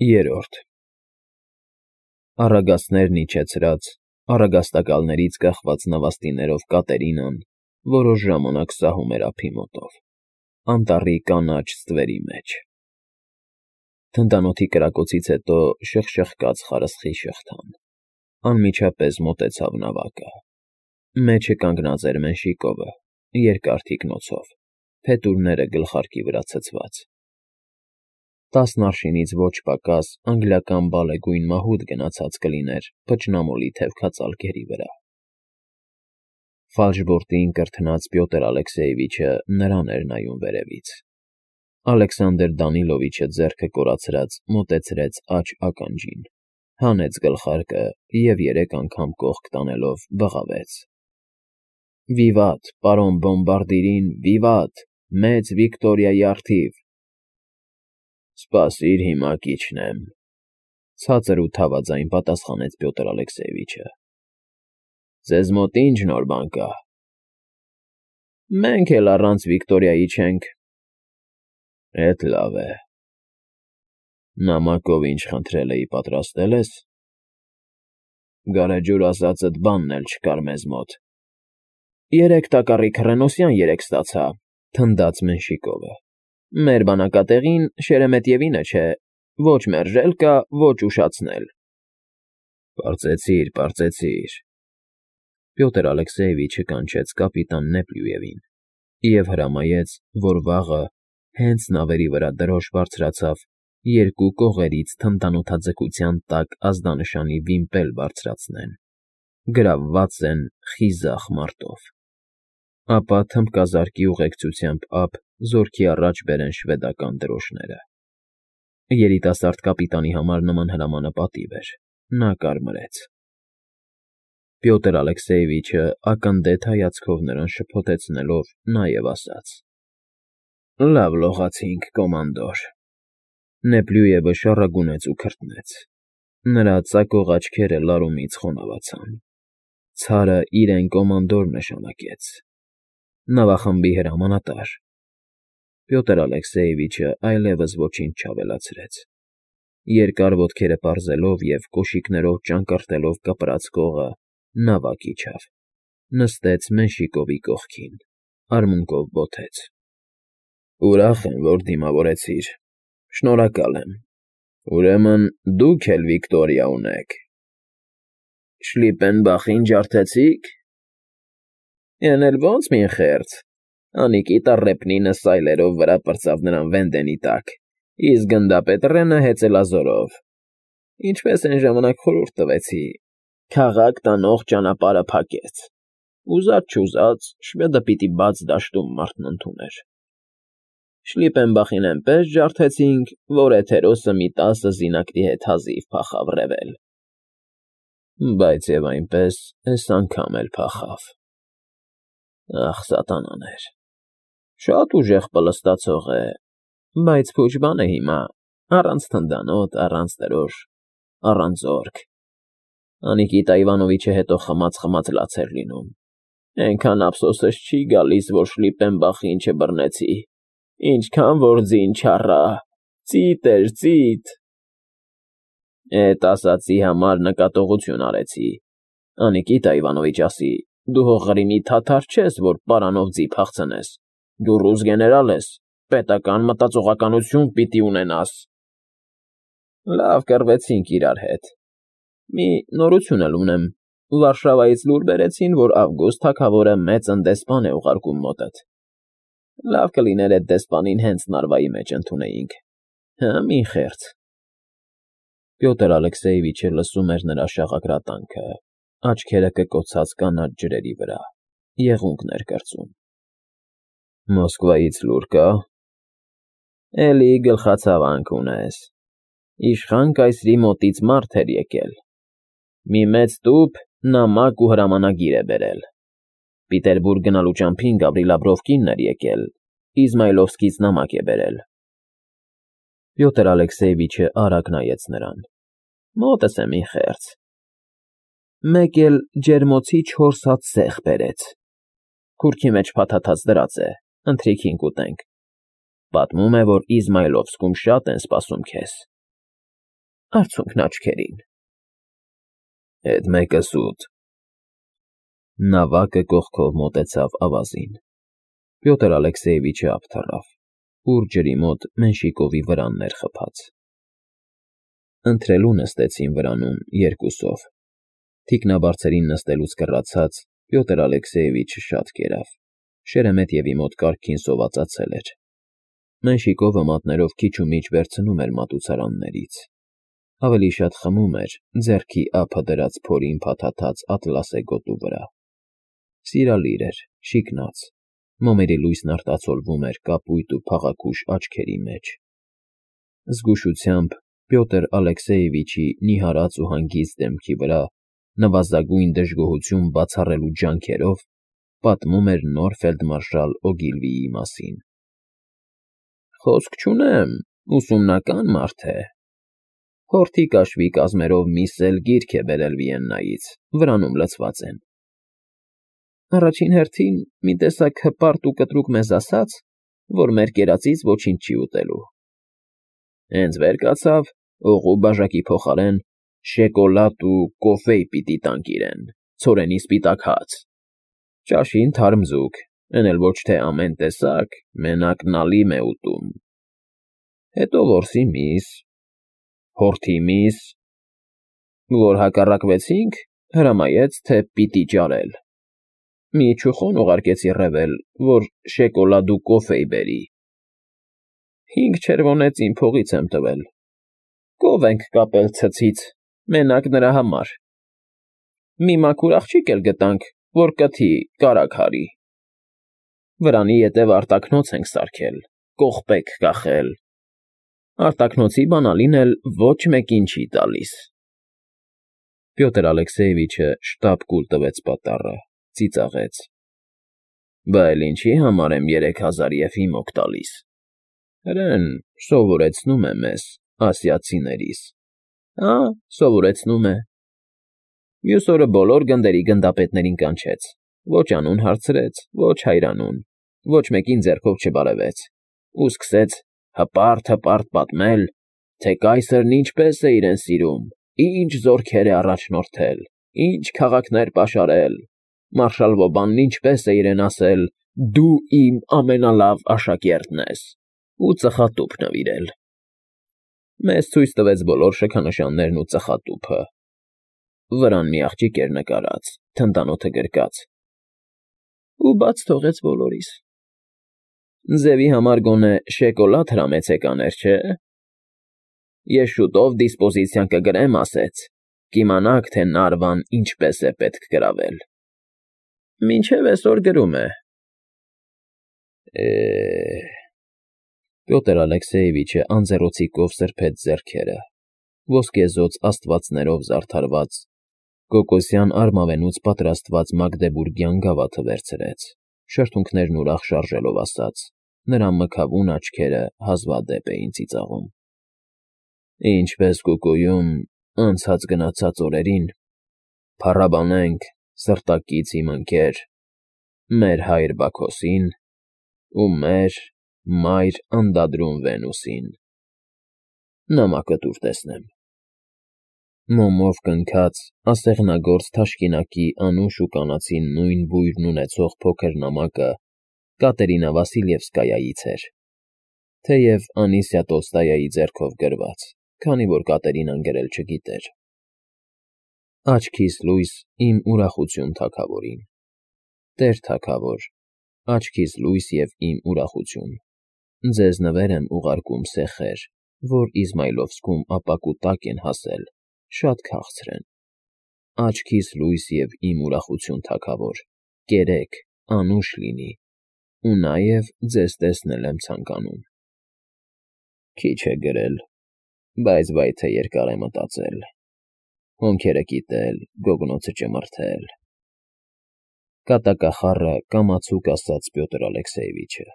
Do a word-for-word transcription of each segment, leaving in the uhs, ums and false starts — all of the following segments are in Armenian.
Երրորդ Առագաստներն իջեցրած, առագաստակալներից կախված նավաստիներով Կատերինան որոշ ժամանակ սահում էր ափի մոտով, անտառի կանաչ ստվերի մեջ. թնդանոթի կրակոցից հետո շխշխկաց խարսխի շղթան, անմիջապես մոտեցավ նավակը, մեջը կանգնած էր Մենշիկովը, երկար թիկնոցով, փետուրները գլխարկի վրա ցցված. տասն արշինից ոչ պակաս անգլիական բալեգույն մահուդ գնացած կլիներ փչնամոլի թևքածալ կերի վրա։ Ֆալշբորտին կրթնած Պյոտր Ալեքսեևիչը նրան էր նայում վերևից։ Ալեքսանդր Դանիլովիչը ձեռքը կորացրած մոտեցրեց աջ ականջին, հանեց գլխարկը և երեք անգամ կողք տանելով բղավեց. Վիվատ, պարոն բոմբարդիրին, վիվատ, մեծ Վիկտորիայի առթիվ։ Սպասիր, հիմա կիջնեմ, ցածր ու թավաձայն պատասխանեց Պյոտր Ալեքսեևիչը։ Ձեզ մոտ ի՞նչ նոր բան կա։ Մենք էլ առանց Վիկտորիայի չենք։ Էդ լավ է։ Նամակով ինչ խնդրել էի, պատրաստել ես։ Գարեջուր ասածդ բանն էլ չկար մեզ մոտ։ Երեք տակառի քռենոսյան երեք ստացա, թնդաց Մենշիկովը։ Մեր բանակատեղին Շերեմետևինը չէ, ոչ մերժել կա, ոչ ուշացնել։ Պարծեցիր, պարծեցիր։ Պյոտր Ալեքսեևիչը կանչեց կապիտան Նեպլյուևին և հրամայեց, որ վաղը, հենց նավերի վրա դրոշ բարձրացավ, երկու կողերից թնդանոթաձգության տակ ազդանշանի վիմպել բարձրացնեն, գրավված են խիզախ մարտով, ապա թմբկազարկի ուղեկցությամբ ափ զորքի առաջ բերեն շվեդական դրոշները։ Երիտասարդ կապիտանի համար նման հրամանը պատիվ էր, նա կարմրեց։ Պյոտր Ալեքսեևիչը ակնդեթ հայացքով նրան շփոթեցնելով նաև ասաց. Լավ լողացինք, կոմանդոր։ Նեպլյուևը շառագունեց ու քրտնեց։ Նրա ծակող աչքերը լարումից խոնավացան։ Ցարը իրեն կոմանդոր նշանակեց։ Նավախմբի հրամանատար։ Պյոտր Ալեքսեևիչը այլևս ոչինչ չավելացրեց։ Երկար ոտքերը պարզելով և կոշիկներով ճանկռտելով կպրած կողը, նավակ իջավ, նստեց Մենշիկովի կողքին, արմունկով բոթեց։ Ուրախ եմ, որ դիմավորեցիր, շնորհակալ եմ։ Ուրեմն դուք էլ Վիկտորիա ունեք։ Շլիպենբախին ջարդեցի՞ք։ Էն էլ ո՞նց մին խեղճ։ Անիկի տառեպնինը սայլերով վրա պրծավ նրան վենդենի տակ, իսկ գնդապետրենը հեծելազորով։ Ինչպես են ժամանակ խորհուրդ տվեցի, քաղաք տանող ճանապարհը փակեց։ Ուզած չուզած շվեդը պիտի բաց դաշտում մարդն ընդուներ։ Շլիպենբախին էնպես ջարդեցինք, որ էթերոսը մի տասը զինակների հետ հազիվ փախավ ռեվել։ Բայց և այնպես էս անգամ էլ փախավ։ Ախ, սատանաներ։ Շատ ուժեղ պլստացող է, բայց փուչ բան է հիմա, առանց թնդանոթ, առանց դրոշ, առանց զորք։ Անիկիտա Իվանովիչը հետո խմած-խմած լաց էր լինում։ Էնքան ափսոսս չի գալիս, որ Շլիպենբախին չբռնեցի, ինչքան որ ձին չառա, ծիտ էր, ծիտ։ Էդ ասածի համար նկատողություն արեցի։ Անիկիտա Իվանովիչ ասի, դու հո Ղրիմի թաթար չես, որ պարանով ձի փախցնես, դու ռուս գեներալ ես, պետական մտածողականություն պիտի ունենաս։ Լավ կռվեցինք իրար հետ։ Մի նորություն էլ ունեմ, Վարշավայից լուր բերեցին, որ Ավգուստ թագավորը մեծն դեսպան է ուղարկում մոտդ։ Լավ կլիներ էդ դեսպանին հենց նարվայի մեջ ընդունեինք։ Հը, մի խեղճ։ Պյոտր Ալեքսեևիչը լսում էր նրա շաղակրատանքը, աչքերը կկոցած կանաչ ջրերի վրա, եղունգներ կրծում։ Մոսկվայից լուր կա։ Էլի գլխացավանք ունես։ Իշխան կայսրի մոտից մարդ էր եկել։ Մի մեծ տուփ նամակ ու հրամանագիր է բերել։ Պիտերբուրգ գնալու ճամփին Գավրիլ Աբրովկինն էր եկել, Իզմայլովսկից նամակ է բերել։ Պյոտր Ալեքսեևիչը արագ նայեց նրան։ Մոտս է մի խեղճ։ Մեկ էլ ջերմոցի չորս հատ սեղ բերեց։ Քուրքի մեջ փաթաթած դրած է, ընթրիքին կուտենք։ Պատմում է, որ Իզմայլովսկում շատ են սպասում քեզ։ Արցունքն աչքերին։ Էդ մեկը սուտ։ Նավակը կողքով մոտեցավ ավազին։ Պյոտր Ալեքսեևիչը ափ թռավ, ուր ջրի մոտ Մենշիկովի վրանն էր խփած։ Ընթրելու նստեցին վրանում երկուսով։ Թիկնաբարձերին նստելուց կռացած Պյոտր Ալեքսեևիչը շատ կերավ, Շերեմետևի մոտ կարգին սովածացել էր։ Մենշիկովը մատներով քիչ ու միջ վերցնում էր մատուցարաններից։ Ավելի շատ խմում էր ձեռքի ափը դրած փորին փաթաթած ատլասե գոտու վրա։ Սիրալիր էր, շիկնած, մոմերի լույսն արտացոլվում էր կապույտ ու փաղաքուշ աչքերի մեջ։ Զգուշությամբ Պյոտր Ալեքսեևիչի նիհարած ու հանգիստ դեմքի վրա նվազագույն դժգոհություն բացառելու ջանքերով պատմում էր նոր ֆելդմարշալ Օգիլվիի մասին։ Խոսք չունեմ, ուսումնական մարդ է։ Հորթի կաշվի կազմերով միս էլ գիրք է բերել Վիեննայից, վրանում լցված են։ Առաջին հերթին մի տեսակ հպարտ ու կտրուկ մեզ ասաց, որ մեր կերածից ոչինչ չի ուտելու։ Հենց վեր կացավ, օղու բաժակի փոխարեն շեկոլադ ու կոֆեյ պիտի տանք իրեն, ցորենի սպիտակ հաց, ճաշին թարմ ձուկ, էն էլ ոչ թե ամեն տեսակ, մենակ նալիմ է ուտում։ Հետո որսի միս, հորթի միս, որ հակառակվեցինք, հրամայեց, թե պիտի ճարել։ Մի չուխոն ուղարկեցի ռևել, որ շեկոլադ ու կոֆեյ բերի։ Հինգ չերվոնեց իմ փողից եմ տվել։ Կով ենք կապել ցցից, մենակ նրա համար։ Մի մաքուր աղջիկ էլ գտանք, որ կթի կարագ հարի։ Վրանի ետև արտաքնոց ենք սարքել, կողպեք կախել։ Արտաքնոցի բանալին էլ ոչ մեկին չի տալիս։ Պյոտր Ալեքսեևիչը շտապ կուլ տվեց պատառը, ծիծաղեց։ Բա էլ ինչի համար եմ երեք հազար եփիմոկ տալիս։ Հրեն սովորեցնում է մեզ, ասիացիներիս։ Հա, սովորեցնում է։ Մյուս օրը բոլոր գնդերի գնդապետներին կանչեց, ոչ անուն հարցրեց, ոչ հայրանուն, ոչ մեկին ձեռքով չբարևեց, ու սկսեց հպարտ-հպարտ պատմել, թե կայսրն ինչպես է իրեն սիրում, ինչ զորքեր է առաջնորդել, ինչ քաղաքներ պաշարել, մարշալ Վոբանն ինչպես է իրեն ասել. «Դու իմ ամենալավ աշակերտն ես», ու ծխատուփ նվիրել։ Մեզ ցույց տվեց բոլոր շքանշաններն ու ծխատուփը։ Վրան մի աղջիկ էր նկարած, թնդանոթը գրկած։ Ու բաց թողեց բոլորիս։ Ձևի համար գոնե շեկոլադ հրամեցեք աներ, չէ՞։ Ես շուտով դիսպոզիցիան կգրեմ, ասեց, կիմանաք, թե Նարվան ինչպես է պետք գրավել։ Մինչև այսօր գրում է։ Է… Պյոտր Ալեքսեևիչը անձեռոցիկով սրբեց ձեռքերը, ոսկեզօծ աստվածներով զարդարված, կոկոսյան արմավենուց պատրաստված մագդեբուրգյան գավաթը վերցրեց, շրթունքներն ուրախ շարժելով ասաց, նրա մքավուն աչքերը հազվադեպ էին ծիծաղում։ Ինչպես կուկույում անցած գնացած օրերին, փառաբանենք սրտակից իմ ընկեր, մեր հայր Բաքոսին ու մեր մայր անդադրուն Վենուսին։ Նամակը տուր տեսնեմ։ Մոմով կնքած, ասեղնագործ թաշկինակի անուշ ու կանացի նույն բույրն ունեցող փոքր նամակը Կատերինա Վասիլևսկայայից էր, թեև Անիսիա Տոլստոյայի ձեռքով գրված, քանի որ Կատերինան գրել չգիտեր։ Աչքիս լույս իմ ուրախություն թագավորին։ Տեր թագավոր, աչքիս լույս և իմ ուրախություն։ Ձեզ նվեր եմ ուղարկում սեխեր, որ Իզմայլովսկում ապակու տակ են հասել, շատ քաղցր են։ Աչքիս լույս և իմ ուրախություն թագավոր, կերեք, անուշ լինի, ու նաև ձեզ տեսնել եմ ցանկանում։ Քիչ է գրել, բայց վայ թե երկար է մտածել, հոնքերը կիտել, գոգնոցը ճմրթել։ Կատակախառը կամացուկ ասաց Պյոտր Ալեքսեևիչը,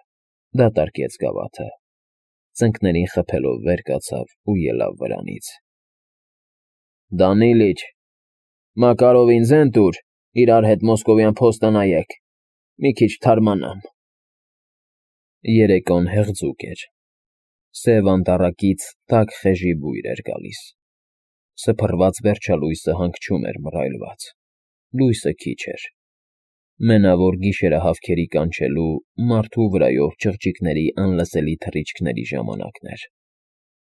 դատարկեց գավաթը, ծնկներին խփելով վեր կացավ ու ելավ վրանից։ Դանիլիչ, Մակարովին ձեն տուր, իրար հետ Մոսկովյան փոստը նայեք, մի քիչ թարմանամ։ Երեկոն հեղձուկ էր։ Սև անտառակից տաք խեժի բույր էր գալիս։ Սփռված վերջալույսը հանգչում էր մռայլված, լույսը քիչ էր, մենավոր գիշերը հավքերի կանչելու, մարդու վրայով չղջիկների անլսելի թռիչքների ժամանակն էր,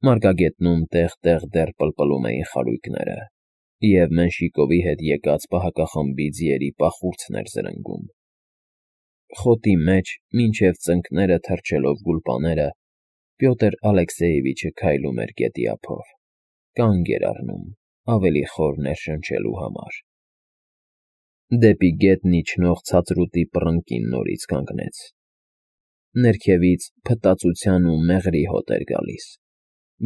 մարգագետնում տեղ-տեղ դեռ պլպլում էին խարույկները, և Մենշիկովի հետ եկած պահակախմբի ձիերի պախուրձն էր զրնգում, խոտի մեջ մինչև ծնկները թռչելով գուլպաները, Պյոտր Ալեքսեևիչը քայլում էր գետի ափով, կանգ էր առնում, ավելի խոր ներշնչելու համար, դեպի գետն իջնող ցածրուտի պռնկին նորից կանգնեց, ներքևից փտածության ու մեղրի հոտ էր գալիս,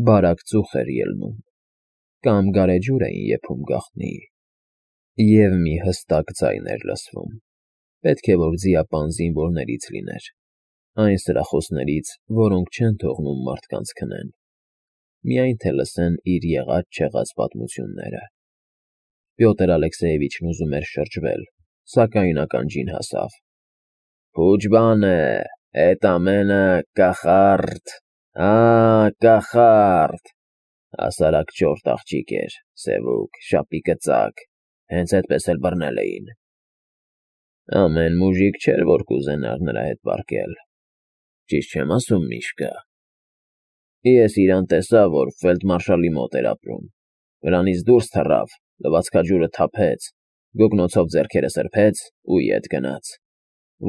բարակ ծուխ էր ելնում, կամ գարեջուր էին եփում գաղտնի, և մի հստակ ձայն էր լսվում, պետք է որ ձիապան զինվորներից լիներ, այն սրախոսներից, որոնք չեն թողնում մարդկանց քնեն, միայն թե լսեն իր եղած-չեղած պատմությունները, Պյոտր Ալեքսեևիչն ուզում էր շրջվել, սակայն ականջին հասավ. «Փուջ բան է, էդ ամենը կախարդ, ա, կախարդ, հասարակ չորտ աղջիկ էր, սևուկ, շապիկծակ, հենց էդպես էլ բռնել էին, ամեն մուժիկ չէր, որ կուզենար նրա հետ պառկել, ճիշտ չեմ ասում, Միշկա, ես իրան տեսա, որ ֆելդմարշալի մոտ էր ապրում, վրանից դուրս թռավ, լվացքաջուրը թափեց, գոգնոցով ձեռքերը սրբեց ու ետ գնաց,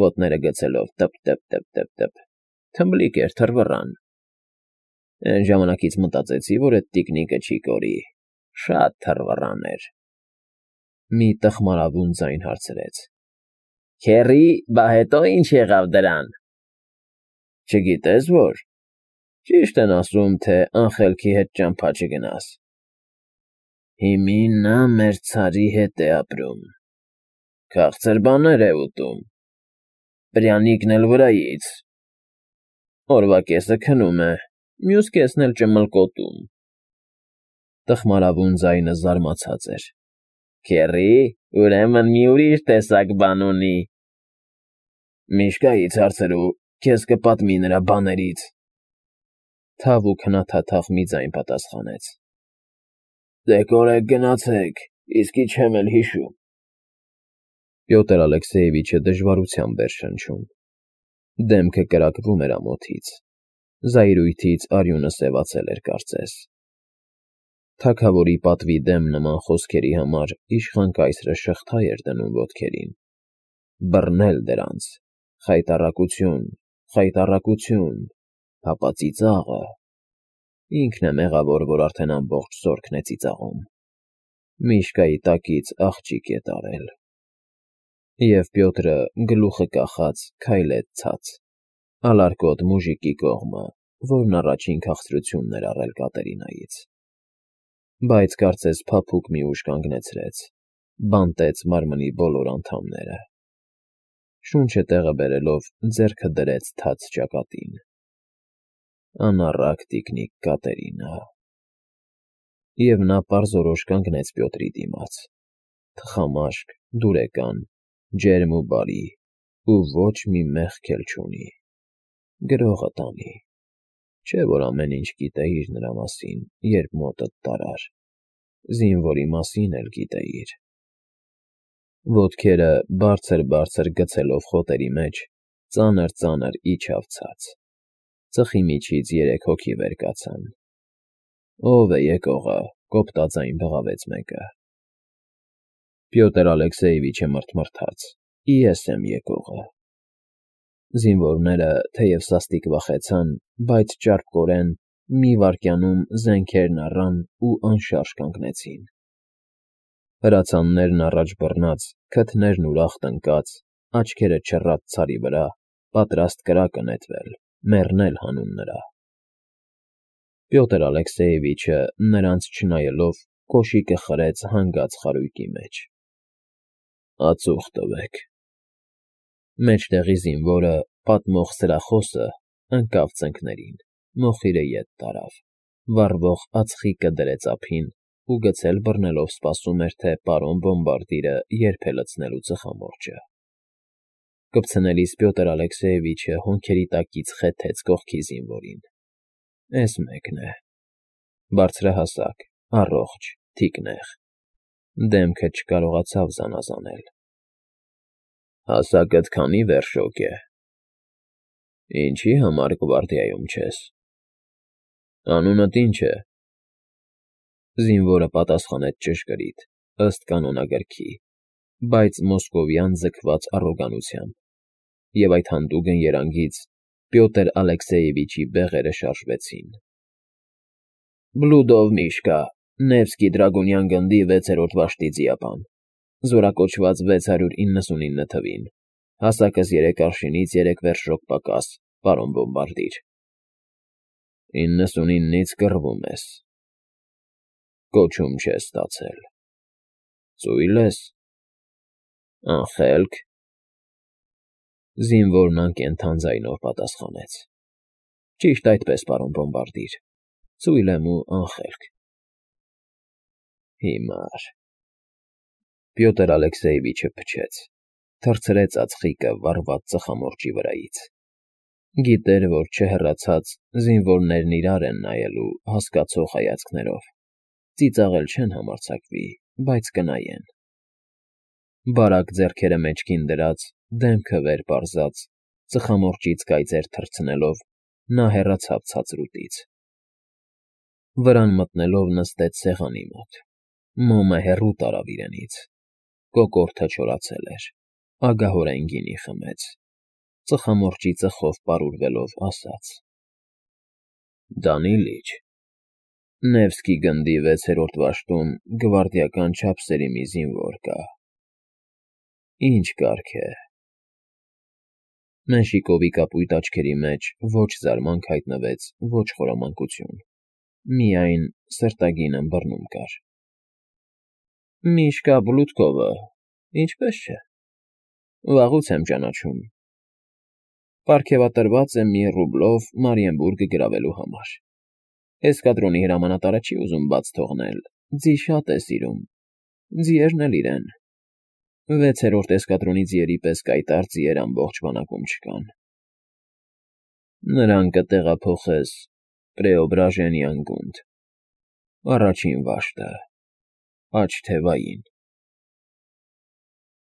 ոտները գցելով տպ-տպ-տպ-տպ, թմբլիկ էր, թռվռան, այն ժամանակից մտածեցի, որ էդ տիկնիկը չի կորի, շատ թռվռան էր», մի տխմարավուն ձայն հարցրեց. «Քեռի, բա հետո ինչ եղավ դրան»։ «Չգիտես որ, ճիշտ են ասում, թե անխելքի հետ ճամփա չգնաս, հիմին նա մեր ցարի հետ է ապրում, քաղցր բաներ է ուտում, պրյանիկն էլ վրայից, օրվա կեսը քնում է, մյուս կեսն էլ ճմլկոտում», տխմարավուն ձայնը զարմացած էր. «Քեռի, ուրեմն մի ուրիշ տեսակ բան ունի»։ «Միշկայից հարցրու, քեզ կպատմի նրա բաներից», թավ ու քնաթաթախ մի ձայն պատասխանեց. «Դե կորեք գնացեք, իսկի չեմ էլ հիշում»։ Պյոտր Ալեքսեևիչը դժվարությամբ էր շնչում, դեմքը կրակվում էր ամոթից, զայրույթից արյունը սևացել էր կարծես, թագավորի պատվի դեմ նման խոսքերի համար իշխան կայսրը շղթա էր դնում ոտքերին, բռնել դրանց, խայտառակություն, խայտառակություն, հապա ծիծաղը, ինքն է մեղավոր, որ արդեն ամբողջ զորքն է ծիծաղում, Միշկայի տակից աղջիկ է տարել, և Պյոտրը գլուխը կախած քայլեց ցած, ալարկոտ մուժիկի կողմը, որն առաջին քաղցրությունն էր առել Կատերինայից, բայց կարծես փափուկ մի ուժ կանգնեցրեց, բանտեց մարմնի բոլոր անդամները, շունչը տեղը բերելով ձեռքը դրեց թաց ճակատին, անառակ տիկնիկ Կատերինա, և նա պարզորոշ կանգնեց Պյոտրի դիմաց, թխամաշկ, դուրեկան, ջերմ ու բարի, ու ոչ մի մեղք էլ չունի, գրողը տանի, չէ՞ որ ամեն ինչ գիտեիր նրա մասին, երբ մոտդ տարար, զինվորի մասին էլ գիտեիր։ Ոտքերը բարձր-բարձր գցելով խոտերի մեջ, ծանր-ծանր իջավ ցած, ծխի միջից երեք հոգի վեր կացան։ «Ո՞վ է եկողը», կոպտաձայն բղավեց մեկը։ Պյոտր Ալեքսեևիչը մռթմռթաց. «Ես եմ եկողը»։ Զինվորները, թեև սաստիկ վախեցան, բայց ճարպկորեն մի վայրկյանում զենքերն առան ու անշարժ կանգնեցին։ Հրացաններն առաջ բռնած, քթներն ուրախ տնկած, աչքերը չռած ցարի վրա, պատրաստ կրակը նետվել, մեռնել հանուն նրա։ Պյոտր Ալեքսեևիչը, նրանց չնայելով, կոշիկը խրեց հանգած խարույկի մեջ։ «Ածուխ տվեք»։ Մեջտեղի զինվորը, պատմող սրախոսը, ընկավ ծնկներին, մոխիրը ետ տարավ, վառվող ածխիկը դրեց ափին ու գցել բռնելով սպասում էր, թե պարոն բոմբարդիրը երբ է լցնելու ծխամորճը։ Կպցնելիս Պյոտր Ալեքսեևիչը հոնքերի տակից խեթեց կողքի զինվորին. «Էս մեկն է, բարձրահասակ, առողջ, թիկնեղ, դեմքը չկարողացավ զանազանել։ Հասակդ քանի վերշոկ է։ Ինչի համար գվարդիայում չես։ Անունդ ինչ է։ Զինվորը պատասխանեց ճշգրիտ, ըստ կանոնագրքի, բայց մոսկովյան ձգված առոգանությամբ, և այդ հանդուգն երանգից Պյոտր Ալեքսեևիչի բեղերը շարժվեցին։ Բլուդով Միշկա, Նևսկի Դրագունյան գնդի վեցերորդ վաշտի ձիապան, զորակոչված վեց հարյուր իննսունինը թվին, հասակս երեք արշինից երեք վերշոկ պակաս, պարոն բոմբարդիր։ Իննսունինից կռվում ես։ Կոչում չես ստացել։ Ծույլ ես։ Անխելք։ Զինվորն անկենդան ձայնով պատասխանեց. Ճիշտ այդպես, պարոն բոմբարդիր, ծույլ եմ ու անխելք։ Հիմար։ Պյոտր Ալեքսեևիչը փչեց, թռցրեց ածխիկը վառված ծխամորճի վրայից։ Գիտեր, որ չհեռացած զինվորներն իրար են նայելու հասկացող հայացքներով, ծիծաղել չեն համարձակվի, բայց կնայեն։ Բարակ ձեռքերը մեջքին դրած, դեմքը վեր պարզած, ծխամորճից կայծեր թռցնելով, նա հեռացավ ցածրուտից։ Վրան մտնելով նստեց սեղանի մոտ, մոմը հեռու տարավ իրենից, կոկորդը չորացել էր, ագահորեն գինի խմեց, ծխամորճի ծխով պարուրվելով ասաց. Դանիլիչ, Նևսկի գնդի վեցերորդ վաշտում գվարդիական չափսերի մի զինվոր կա։ Ինչ կարգ է։ Մենշիկովի կապույտ աչքերի մեջ ոչ զարմանք հայտնվեց, ոչ խորամանկություն, միայն սրտագին ըմբռնում կար։ Միշկա Բլուդկովը, ինչպես չէ, վաղուց եմ ճանաչում։ Պարգևատրված եմ մի ռուբլով Մարիենբուրգը գրավելու համար։ Էսկադրոնի հրամանատարը չի ուզում բաց թողնել, ձի շատ է սիրում, ձիերն էլ իրեն։ Վեցերորդ էսկադրոնի ձիերի պես կայտառ ձիեր ամբողջ բանակում չկան։ Նրան կտեղափոխես Պրեոբրաժենյան գունդ, առաջին վաշտը, աջ թևային։